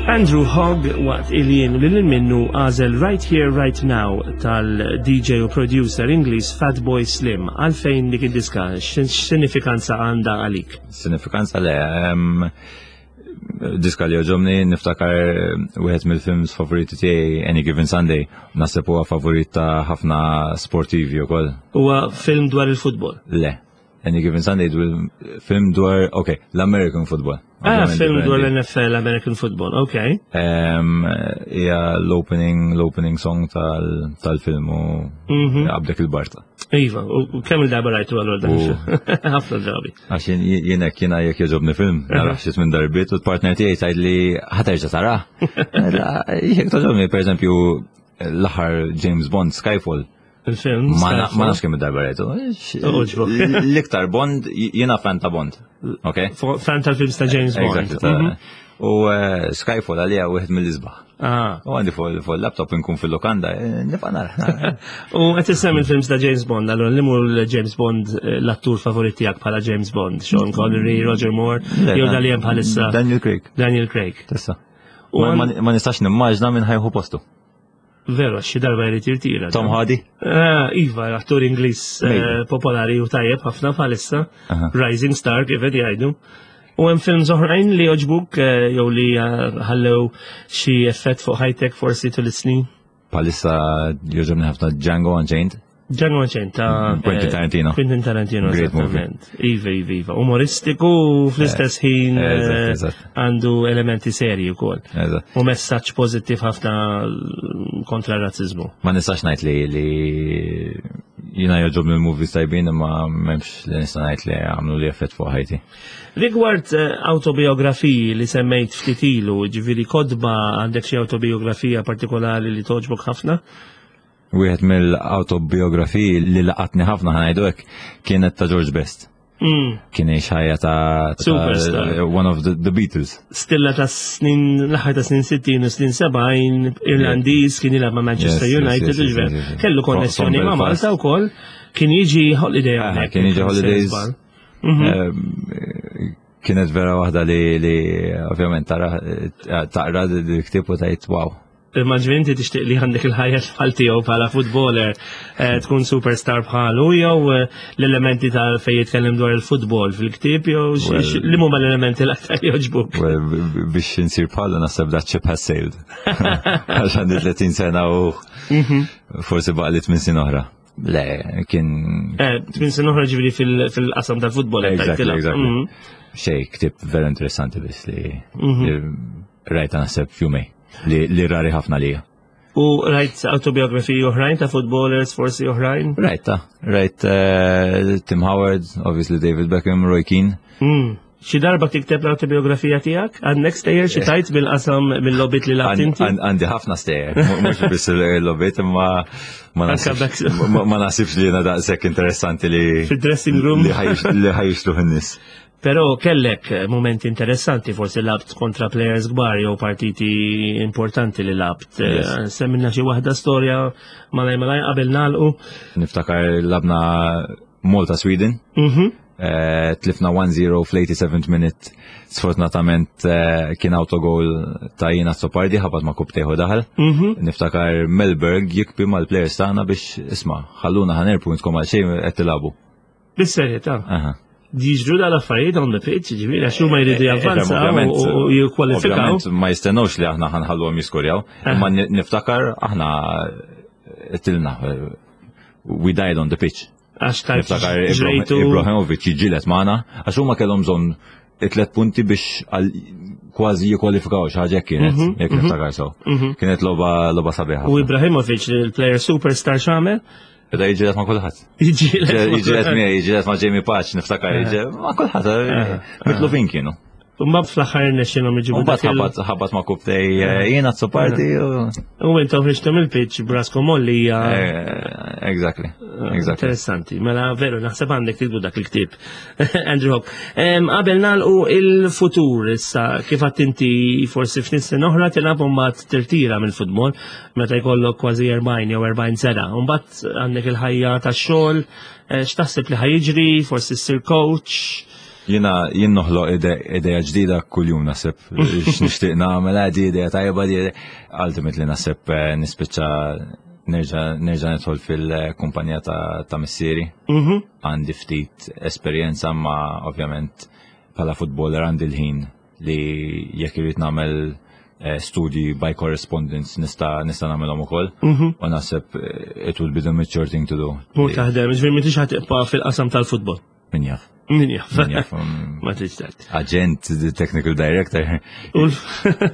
Andrew Hogg waqt il-jien li minnu għażel Right Here Right Now tal-D J u producer Ingliż Fatboy Slim. Għalfejn dik id-diska? X'sinifikanza għandha għalik? Sinifikanza le, em, diska li jogħġobni, niftakar wieħed mill-films favoriti tiegħi, Any Given Sunday, naħseb huwa favorit ta' ħafna sportivi wkoll. Huwa film dwar il-futbol. Le, Any Given Sunday dwar film dwar, ok, l-American football. Ah, Ovvjament film dwar differenti. l-N F L, American football, ok. Em, Hija l-opening l-opening song tal- tal-film u Mhm. għabdek il-barta. Iva, u u kemm il-darba rajtu għallur dan? U- Ħafna drabi. Għax jien- jien hekk jiena jekk jogħġobni film, narah xi tmien darbiet u l-partner tiegħi tgħid li ħa terġa' tarah. Jekk togħġobni, pereżempju, l-aħħar James Bond, Skyfall, Il-film. ma na- Skyfall. ma nafx kemm id-darba rajtu. Għoġbok. L-iktar Bond, jiena fan ta' Bond. Ok? Fan tal-films ta' James Bond. Exactly. ta' Mhm. U eh, Skyfall għalija wieħed mill-isbaħ. Ah. U għandi fuq fuq il-laptop inkun fil-lokanda, eh, nibqa' nara. U qed issemmi il-films ta' James Bond, allora li mur James Bond, eh, l-attur favorit tiegħek bħala James Bond, Sean Connery, Roger Moore, jew dal hemm bħalissa? Daniel Craig. Daniel Craig. Tessa. U Ma- għan- Ma ma nistax nimmaġna minn ħa jieħu postu. Veru, xi darba jrid jirtira. Tom Hardy? Ah, iva, attur Ingliż eh, Maybe. popolari u tajjeb ħafna bħalissa. Aha. Rising Star, kif qed jgħidu. U hemm films oħrajn li jogħġbuk eh, jew li eh, ħallew xi effett fuq ħajtek forsi tul is-snin? Bħalissa jogħġobni ħafna Django Unchained. Django Unchained ta' Quentin eh, Tarantino. Quentin Tarantino, Great movie. esattament. Iva, iva, iva. Umoristiku u fl-istess ħin Eh, eżatt, eh, eżatt. għandu elementi serji wkoll. Eżatt. U messaġġ pożittiv ħafna kontra r-razzizmu. Ma nistax ngħid li li jiena jogħġobni l-movies tajbin, imma m'hemmx li nista' ngħid li għamlu li effett fuq ħajti. Rigward eh, autobiografiji li semmejt ftit ilu, ġifieri kotba, għandek xi autobiografija partikolari li togħġbok ħafna? Wieħed mill-autobiografiji li laqatni ħafna, ħa ngħidu hekk, kienet ta' George Best. Mm. Kien jgħix ħajja ta' ta' Superstar. One of the, the Beatles. Stilla ta' snin, l-aħħar ta' snin sittin u snin sebgħin, Irlandiż, kien jilgħab ma' Manchester Yes, yes, United, yes, yes, ġifieri. yes, yes. Kellu From- konnessjoni from ma' Belfast. Malta wkoll, kien jiġi holiday Aha, hawnhekk. kien jiġi holidays. Mhm. Ehm, Kienet vera waħda li li ovvjament tara taqra l-ktieb u tgħid wow. Imma ġifieri inti tixtieq li għandek il-ħajja bħal tiegħu bħala footballer, eh, tkun superstar bħalu, jew eh, l-elementi ta' fejn jitkellem dwar il-futbol fil-ktieb, jew x- Well- x- li huma l-elementi l-aktar jogħġbuk? Well, b- b- biex insir bħalu naħseb that ship has sailed. Għax għandi tletin sena u forsi baqagħli tmien snin oħra. Le, kien Eh, tmien snin oħra ġifieri fil- fil-qasam tal-futbol. qed Exactly, tgħid exactly. Mhm. Xej, ktieb vera interessanti biss li li rajta naħseb fjumej li, li rari ħafna lija. U rajt autobiografiji oħrajn ta' footballers forsi oħrajn? Rajta, rajt eh, Tim Howard, obviously David Beckham, Roy Keane. Mm. Xi darba tikteb l-autobiografija tiegħek? Għandek stejjer xi tajt bil-qasam mill-logħbiet li labt inti? Għan- Għandi ħafna stejjer, mhux biss il-logħbiet, imma ma Anka naħsibx back- ma- ma naħsibx li jiena daqshekk interessanti li Fid-dressing room. li ħa jix- li ħa jixtruh in-nies. Però kellek momenti interessanti, forsi labt kontra players kbar jew partiti importanti li labt. Yes. Eh, Semmilna xi waħda storja malaj malaj qabel nagħlqu. Niftakar lgħabna Malta Sweden, Mhm. eh, tlifna one zero fl-eighty-seventh minute, sfortunatament eh, kien autogol ta' Ian Azzopardi, ħabat ma' rkupptejh u daħal. Mhm. Niftakar Mellberg jibki mal-players tagħna biex isma' ħalluna ħa nirbħu, intkom għal xejn qed tilagħbu. Bis-serjetà. Aha. Jiġru dal-affarijiet on the pitch, ġifieri għax huma jridu Eh, javvanzaw ovvjament, u u jikkwalifikaw. Ovvjament ma jistennewx li aħna ħa nħalluhom jiskorjaw, imma ni- niftakar aħna tilna, we died on the pitch. Għax tajt Niftakar ġrejtu. Ibrahimovic jiġġieled magħna għax huma kellhom bżonn it-tlet punti biex għal- kważi jikkwalifikaw, xi ħaġa hekk kienet, jekk niftakar sew. Kienet logħba logħba sabiħa. U Ibrahimovic, il-player superstar, x'għamel? Beda jiġġieled ma' kulħadd. Jiġġieled ma' Jiġġieled miegħi, jiġġieled ma' Jamie Patch, niftakar jiġġieled ma' kulħadd, mitlufin kienu. Mbagħad fl-aħħar irnexxielhom iġibu U mbagħad dak il- ħabat ħabat ma' rkupptejh Ian Azzopardi u U intom ħriġtu mill-pitch b'raskom għolja. Eh, Exactly. Exactly. Interessanti, mela veru, naħseb għandek tiktbu dak il-ktieb. Andrew Hogg. Em, Qabel nagħlqu, il-futur issa, kif għedt inti, forsi ftit snin oħra tilgħab u mbagħad tirtira mill-futbol meta jkollok kważi erbgħin jew erbgħin sena. U mbagħad għandek il-ħajja tax-xogħol, eh, x'taħseb li ħa jiġri, forsi ssir coach? Jiena jien noħloq ideja ġdida kuljum naħseb x'nixtieq nagħmel għadi idea tajba di ultimately naħseb eh, nispiċċa nerġa' nerġa' nidħol fil-kumpanija ta', ta' missieri. Mhm. Għandi ftit esperjenza ma ovvjament bħala footballer għandi l-ħin li jekk irrid nagħmel eh, studji by correspondence nista' nista' nagħmelhom ukoll. Mhm. U naħseb eh, it will be the mature thing to do. Mur taħdem, ġifieri m'intix ħa tibqa' fil-qasam tal-futbol. Min jaf. Min jaf. Min jaf. um, Ma tridx tgħid. Agent, the technical director. U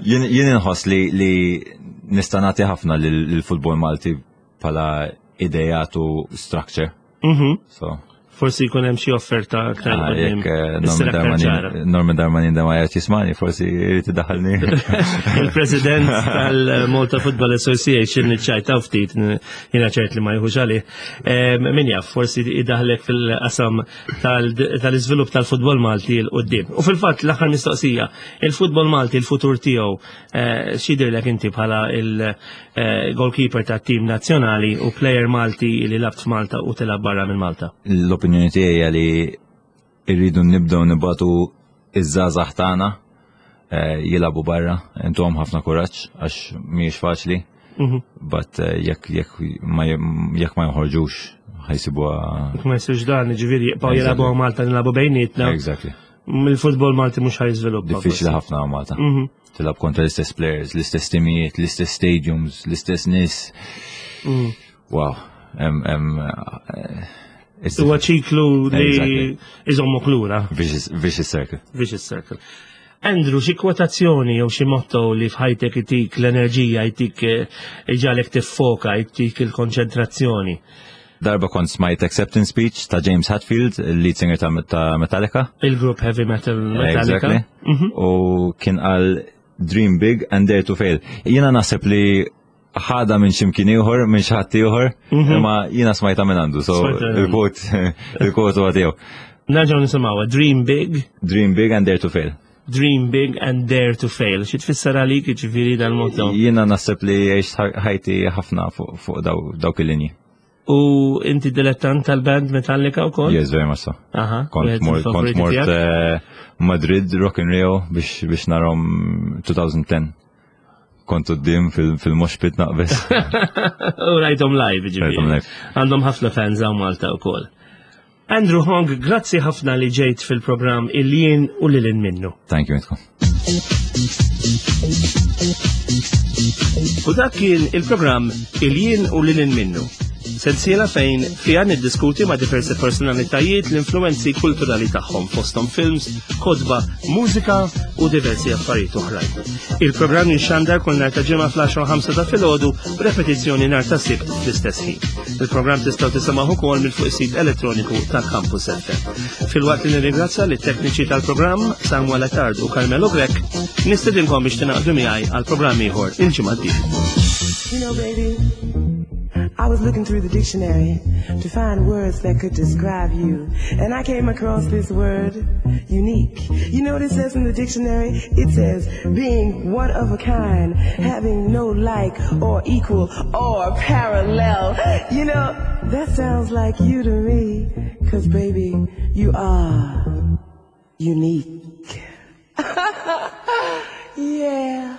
Jien jien inħoss li li nista' nagħti ħafna lill-futbol Malti bħala ideat u structure. Mhm. So, Forsi jkun hemm xi offerta aktar ah, quddiem. jekk eh, Issir Norman aktar ċara. Darmanin Norman Darmanin da ma jgħid jismani, forsi jrid idaħħalni. Il-president tal-Malta Football Association niċċajtaw ftit, jiena ċert li ma jieħux għalih. Em, Min jaf, forsi idaħlek fil-qasam tal- tal-iżvilupp tal-futbol Malti 'l quddiem. U fil-fatt l-aħħar mistoqsija, il-futbol Malti, il-futur tiegħu, eh, x'jidhirlek inti bħala il-goalkeeper tat-tim nazzjonali u player Malti li lgħabt f'Malta u tilgħab barra minn Malta. L-opinjoni tiegħi hija li irridu nibdew nibagħtu iż-żgħażagħ tagħna eh, jilagħbu barra, intuhom ħafna kuraġġ għax mhijiex faċli, Mhm. but eh, jekk jekk ma jekk ma joħorġux ħa jsibuha Ma jsirx dan, ġifieri jibqgħu jilagħbu Malta nilagħbu bejnietna. Exactly. Il-futbol Malti mhux ħa jiżviluppa. Diffiċli ħafna Malta. Mhm. Tilgħab kontra l-istess players, l-istess timijiet, l-istess stadiums, l-istess nies. Mm. Wow. Em, em, eh, it's Huwa ċiklu li Exactly. iżommok lura, vicious, vicious circle. vicious circle. Andrew, xi kwotazzjoni jew xi motto li f'ħajtek itik l-enerġija, jtik eh, iġagħlek tiffoka, jtik il-konċentrazzjoni. Darba kont smajt acceptance speech ta' James Hetfield, il-lead singer ta', ta' Metallica. Il-grupp heavy metal Metallica. Exactly. Mhm. U kien qal dream big and dare to fail. Jiena naħseb li ħadha minn ximkien ieħor, minn xi ħadd ieħor, imma jiena smajta minn għandu, so Smajta minn għandu. il-quote il-quote huwa tiegħu. Nerġgħu nisimgħuha, dream big, Dream big and dare to fail. dream big and dare to fail. Xi tfisser għalik ġifieri dal-motto? Jiena naħseb li għext ħajti ħafna fuq fuq daw- dawk il-linji. U inti dilettant tal-band Metallica wkoll? Yes, very much so. Aha. Kont wieħed mort, kont mill-favoriti mort tiegħek? eh, Madrid Rock in Rio biex biex narahom elfejn u għaxra. Kont quddiem fil-mosh pit naqbes. U rajthom live, ġifieri. Rajthom live. Għandhom ħafna fans hawn Malta wkoll. Andrew Hogg, grazzi ħafna li ġejt fil-programm Il-Jien u Lil Hinn Minnu. Thank you, intkom. U dak kien il-programm Il-Jien u Lil Hinn Minnu. Sensiela fejn fija niddiskuti ma' diversi personalitajiet l-influenzi kulturali tagħhom fosthom films, kotba, mużika u diversi affarijiet oħrajn. Il-programm jinxandar kull nhar ta' Ġimgħa fl-għaxra u ħamsa ta' filgħodu b'repetizzjoni nhar ta' Sibt fl-istess ħin. Il-programm tistgħu tisimgħu ukoll minn fuq is-sit elettroniku ta' Campus F M. Filwaqt li nirringrazzja lit-tekniċi tal-programm Samuel Attard u Carmelo Grech, nistedinkom biex tingħaqdu miegħi għal programm ieħor il-ġimgħa d-dieħla. You know, baby, I was looking through the dictionary to find words that could describe you. And I came across this word, unique. You know what it says in the dictionary? It says being one of a kind, having no like or equal or parallel. You know, that sounds like you to me. 'Cause baby, you are unique. Yeah.